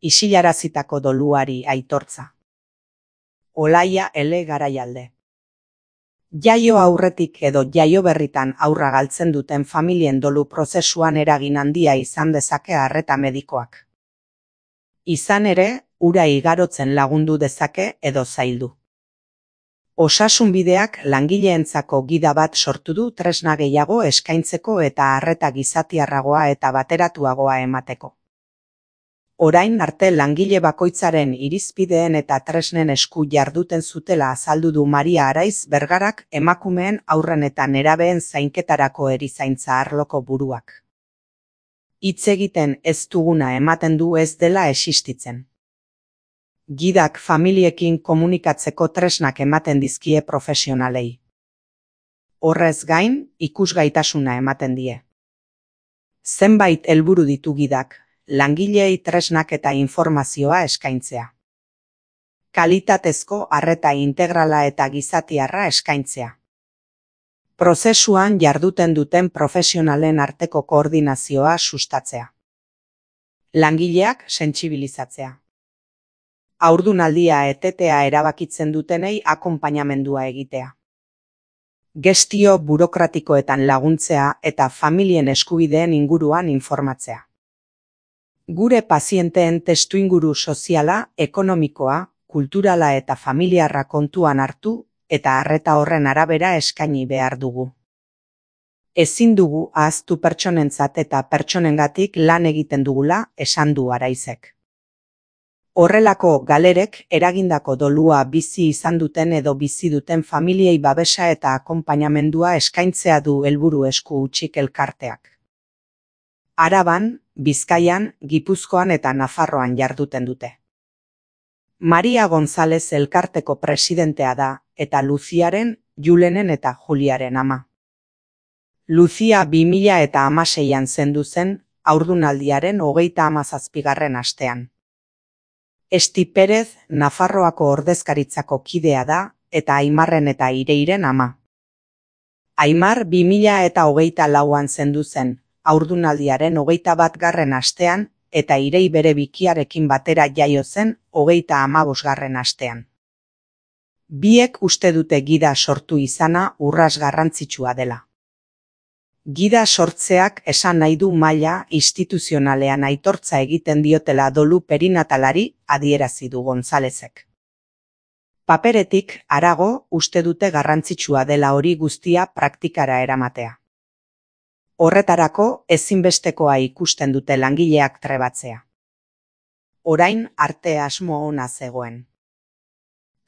isilarazitako doluari aitortza. Olaia L. Garaialde. Jaio aurretik edo jaio berritan haurra galtzen duten familien dolu prozesuan eragin handia izan dezake arreta medikoak. Izan ere, hura igarotzen lagundu dezake edo zaildu. Osasunbideak langileentzako gida bat sortu du tresna gehiago eskaintzeko eta arreta gizatiarragoa eta bateratuagoa emateko. Orain arte langile bakoitzaren irizpideen eta tresnen esku jarduten zutela azaldu du Maria Araiz Bergarak emakumeen, haurren eta nerabeen zainketarako erizaintza arloko buruak. Hitz egiten ez duguna ematen du ez dela existitzen. Gidak familiekin komunikatzeko tresnak ematen dizkie profesionalei. Horrez gain, ikusgaitasuna ematen die. Zenbait helburu ditu gidak, langileei tresnak eta informazioa eskaintzea. Kalitatezko arreta integrala eta gizatiarra eskaintzea. Prozesuan jarduten duten profesionalen arteko koordinazioa sustatzea. Langileak sentsibilizatzea. Haurdunaldia etetea erabakitzen dutenei akonpainamendua egitea. Gestio burokratikoetan laguntzea eta familien eskubideen inguruan informatzea. Gure pazienteen testuinguru soziala, ekonomikoa, kulturala eta familiarra kontuan hartu eta arreta horren arabera eskaini behar dugu. Ezin dugu ahaztu pertsonentzat eta pertsonengatik lan egiten dugula, esan du Araizek. Horrelako galerek eragindako dolua bizi izan duten edo bizi duten familiei babesa eta akonpainamendua eskaintzea du helburu esku hutsik elkarteak. Araban, Bizkaian, Gipuzkoan eta Nafarroan jarduten dute. Maria González elkarteko presidentea da eta Luziaren, Julenen eta Juliaren ama. Luzia 2016an zendu zen haurdunaldiaren 37. astean. Esti Perez Nafarroako ordezkaritzako kidea da eta Aimarren eta Ireiren ama. Aimar 2024an zendu zen haurdunaldiaren 21. astean eta Irei bere bikiarekin batera jaio zen 35. astean. Biek uste dute gida sortu izana urras garrantzitsua dela. Gida sortzeak esan nahi du maila instituzionalean aitortza egiten diotela dolu perinatalari, adierazi du Gonzálezek. Paperetik harago uste dute garrantzitsua dela hori guztia praktikara eramatea. Horretarako ezinbestekoa ikusten dute langileak trebatzea. Orain arte asmo ona zegoen.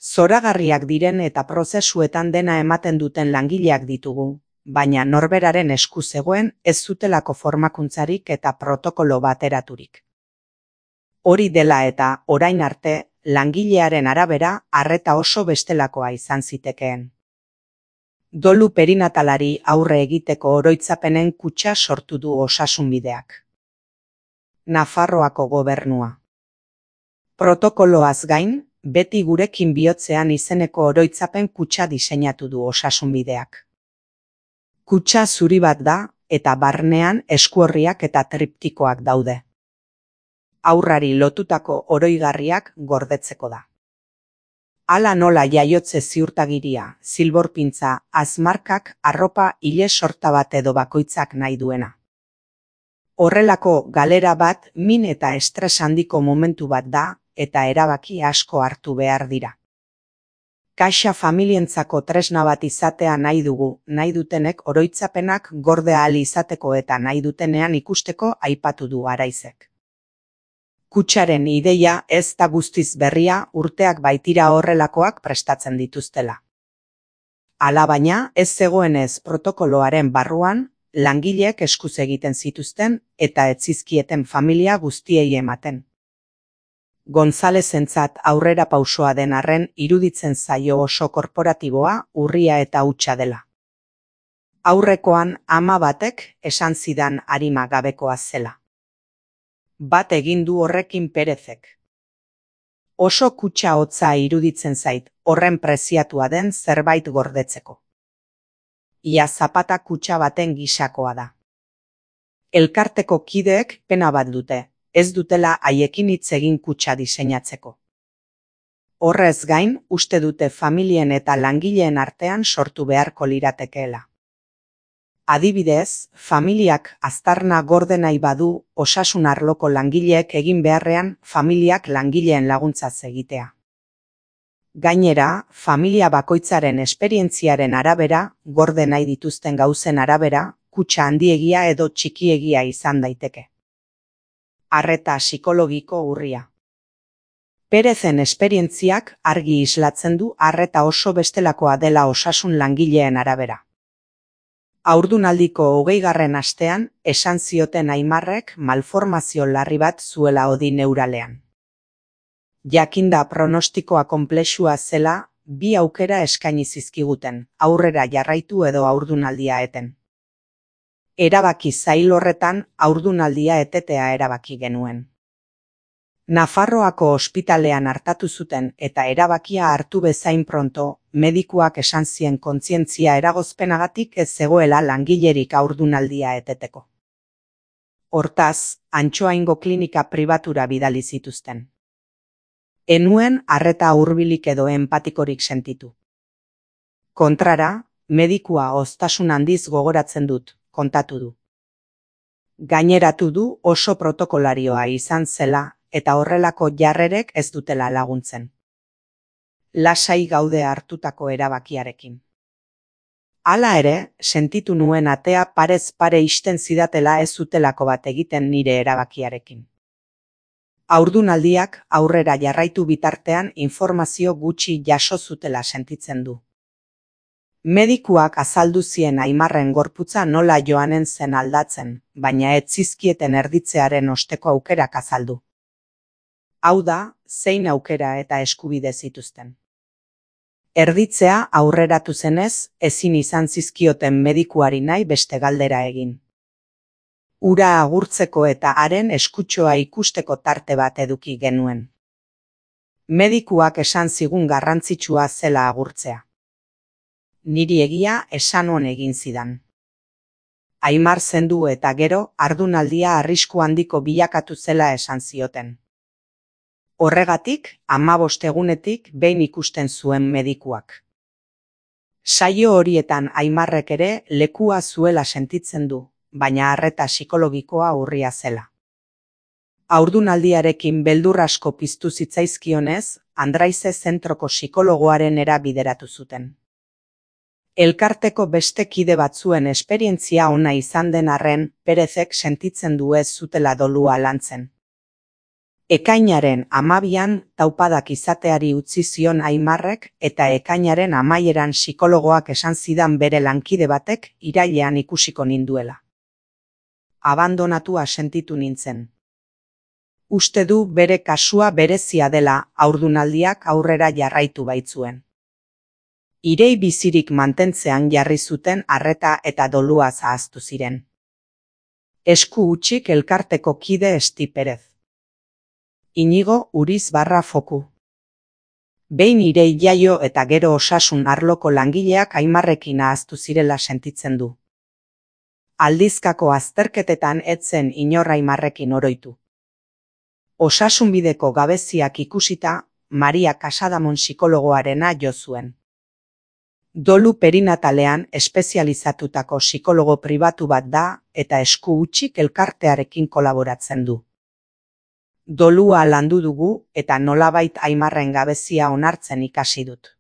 Zoragarriak diren eta prozesuetan dena ematen duten langileak ditugu, baina norberaren esku zegoen ez zutelako formakuntzarik eta protokolo bateraturik. Hori dela eta orain arte langilearen arabera arreta oso bestelakoa izan zitekeen. Dolu perinatalari aurre egiteko oroitzapenen kutxa sortu du Osasunbideak. Nafarroako gobernua. Protokoloaz gain, beti gurekin bihotzean izeneko oroitzapen kutxa diseinatu du Osasunbideak. Kutxa zuri bat da eta barnean eskuorriak eta triptikoak daude. Haurrari lotutako oroigarriak gordetzeko da. Hala nola jaiotze ziurtagiria, zilborpintza, azmarkak, arropa ile sorta bat edo bakoitzak nahi duena. Horrelako galera bat min eta estres handiko momentu bat da eta erabaki asko hartu behar dira. Kaxa familientzako tresna bat izatea nahi dugu, nahi dutenek oroitzapenak gorde ahal izateko eta nahi dutenean ikusteko aipatu du Araizek. Kutxaren ideia ez da guztiz berria, urteak baitira horrelakoak prestatzen dituztela. Alabaina, ez zegoenez protokoloaren barruan, langileek eskuz egiten zituzten eta ez zizkieten familia guztiei ematen. Gonzálezentzat aurrera pausoa den arren iruditzen zaio oso korporatiboa, urria eta hutsa dela. Aurrekoan ama batek esan zidan arima gabekoa zela. Bat egin du horrekin Perezek. Oso kutxa hotza iruditzen zait, horren preziatua den zerbait gordetzeko. Ia zapata kutxa baten gisakoa da. Elkarteko kideek pena bat dute, ez dutela haiekin hitz egin kutxa diseinatzeko. Horrez gain, uste dute familien eta langileen artean sortu beharko liratekeela. Adibidez, familiak aztarna gorde nahi badu osasun arloko langileek egin beharrean familiak langileen laguntzaz egitea. Gainera, familia bakoitzaren esperientziaren arabera, gorde nahi dituzten gauzen arabera, kutxa handiegia edo txikiegia izan daiteke. Arreta psikologiko urria. Perezen esperientziak argi islatzen du arreta oso bestelakoa dela osasun langileen arabera. Haurdunaldiko 20. astean, esan zioten Aimarrek malformazio larri bat zuela hodi neuralean. Jakinda pronostikoa konplexua zela, 2 aukera eskaini zizkiguten, aurrera jarraitu edo haurdunaldia eten. Erabaki zail horretan, haurdunaldia etetea erabaki genuen. Nafarroako ospitalean hartatu zuten eta erabakia hartu bezain pronto, medikuak esan zien kontzientzia eragozpenagatik ez zegoela langilerik haurdunaldia eteteko. Hortaz, Antsoaingo klinika pribatura bidali zituzten. Enuen arreta hurbilik edo empatikorik sentitu. Kontrara, medikua hoztasun handiz gogoratzen dut, kontatu du. Gaineratu du oso protokolarioa izan zela, eta horrelako jarrerek ez dutela laguntzen. Lasai gaude hartutako erabakiarekin. Hala ere, sentitu nuen atea parez pare ixten zidatela ez zutelako bat egiten nire erabakiarekin. Haurdunaldiak aurrera jarraitu bitartean informazio gutxi jaso zutela sentitzen du. Medikuak azaldu zien Aimarren gorputza nola joanen zen aldatzen, baina ez zizkieten erditzearen osteko aukerak azaldu. Hau da, zein aukera eta eskubide zituzten. Erditzea aurreratu zenez, ezin izan zizkioten medikuari nahi beste galdera egin. Ura agurtzeko eta haren eskutxoa ikusteko tarte bat eduki genuen. Medikuak esan zigun garrantzitsua zela agurtzea. Niri egia esan on egin zidan. Aimar zendu eta gero, haurdunaldia arrisku handiko bilakatu zela esan zioten. Horregatik, 15 egunetik behin ikusten zuen medikuak. Saio horietan Aimarrek ere lekua zuela sentitzen du, baina arreta psikologikoa urria zela. Haurdunaldiarekin beldur asko piztu zitzaizkionez, Andraize zentroko psikologoaren bideratu zuten. Elkarteko beste kide batzuen esperientzia ona izan den arren, Perezek sentitzen du ez zutela dolua lantzen. Ekainaren 12an taupadak izateari utzi zion Aimarrek eta ekainaren 11an psikologoak esan zidan bere lankide batek irailean ikusiko ninduela. Abandonatua sentitu nintzen. Uste du bere kasua berezia dela haurdunaldiak aurrera jarraitu baitzuen. Irei bizirik mantentzean jarri zuten arreta eta dolua zahaztu ziren. Esku hutsik elkarteko kide Esti Perez. Inigo Uriz Foku. Behin Irei jaio eta gero osasun arloko langileak Aimarrekin ahaztu zirela sentitzen du. Aldizkako azterketetan etzen inor Aimarrekin oroitu. Osasunbideko gabeziak ikusita, Maria Casadamon psikologoarena jo zuen. Dolu perinatalean espezializatutako psikologo pribatu bat da eta esku hutsik elkartearekin kolaboratzen du. Dolua landu dugu eta nolabait Aimarren gabezia onartzen ikasi dut.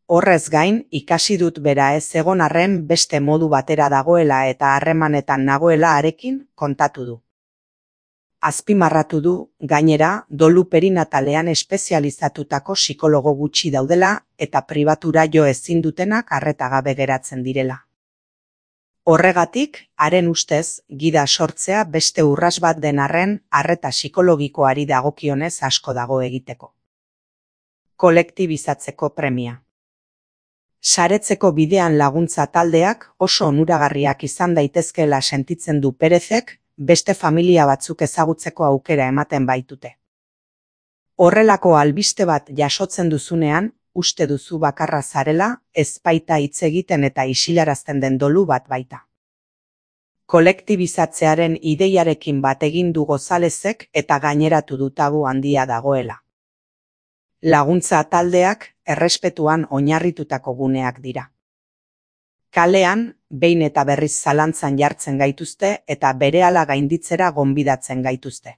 Horrez gain, ikasi dut bera ez egon arren beste modu batera dagoela eta harremanetan nagoela harekin kontatu du. Azpimarratu du, gainera, dolu perinatalean espezializatutako psikologo gutxi daudela eta pribatura jo ezin dutenak arreta gabe geratzen direla. Horregatik, haren ustez, gida sortzea beste urras bat den arren arreta psikologikoari dagokionez asko dago egiteko. Kolektibizatzeko premia. Saretzeko bidean laguntza taldeak oso onuragarriak izan daitezkeela sentitzen du Perezek, beste familia batzuk ezagutzeko aukera ematen baitute. Horrelako albiste bat jasotzen duzunean, uste duzu bakarra zarela, ez baita hitz egiten eta isilarazten den dolu bat baita. Kolektibizatzearen ideiarekin bat egin du Gonzalezek eta gaineratu du tabu handia dagoela. Laguntza taldeak errespetuan oinarritutako guneak dira. Kalean, behin eta berriz zalantzan jartzen gaituzte eta berehala gainditzera gonbidatzen gaituzte.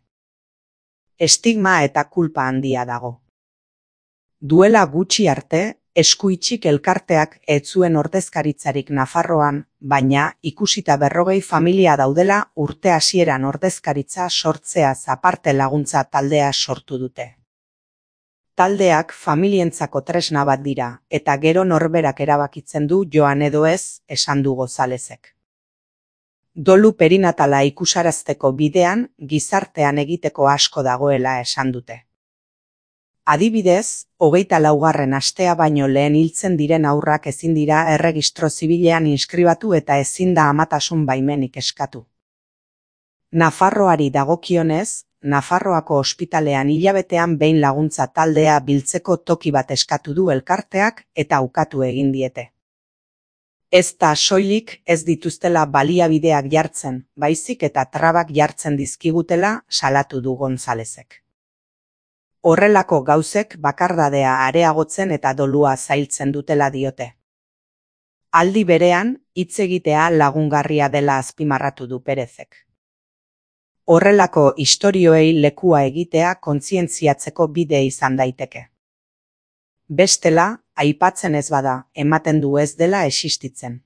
Estigma eta kulpa handia dago. Duela gutxi arte, Eskuitxik elkarteak ez zuen ordezkaritzarik Nafarroan, baina ikusita 40 familia daudela urte hasieran ordezkaritza sortzeaz aparte laguntza taldea sortu dute. Taldeak familientzako tresna bat dira, eta gero norberak erabakitzen du joan edo ez, esan du Gonzalezek. Dolu perinatala ikusarazteko bidean, gizartean egiteko asko dagoela esan dute. Adibidez, 24. astea baino lehen hiltzen diren haurrak ezin dira erregistro zibilean inskribatu eta ezin da amatasun baimenik eskatu. Nafarroari dagokionez, Nafarroako ospitalean hilabetean behin laguntza taldea biltzeko toki bat eskatu du elkarteak eta ukatu egin diete. Ez da soilik ez dituztela baliabideak jartzen, baizik eta trabak jartzen dizkigutela salatu du Gonzalezek. Horrelako gauzek bakardadea areagotzen eta dolua zailtzen dutela diote. Aldi berean, hitz egitea lagungarria dela azpimarratu du Perezek. Horrelako istorioei lekua egitea kontzientziatzeko bide izan daiteke. Bestela, aipatzen ez bada, ematen du ez dela existitzen.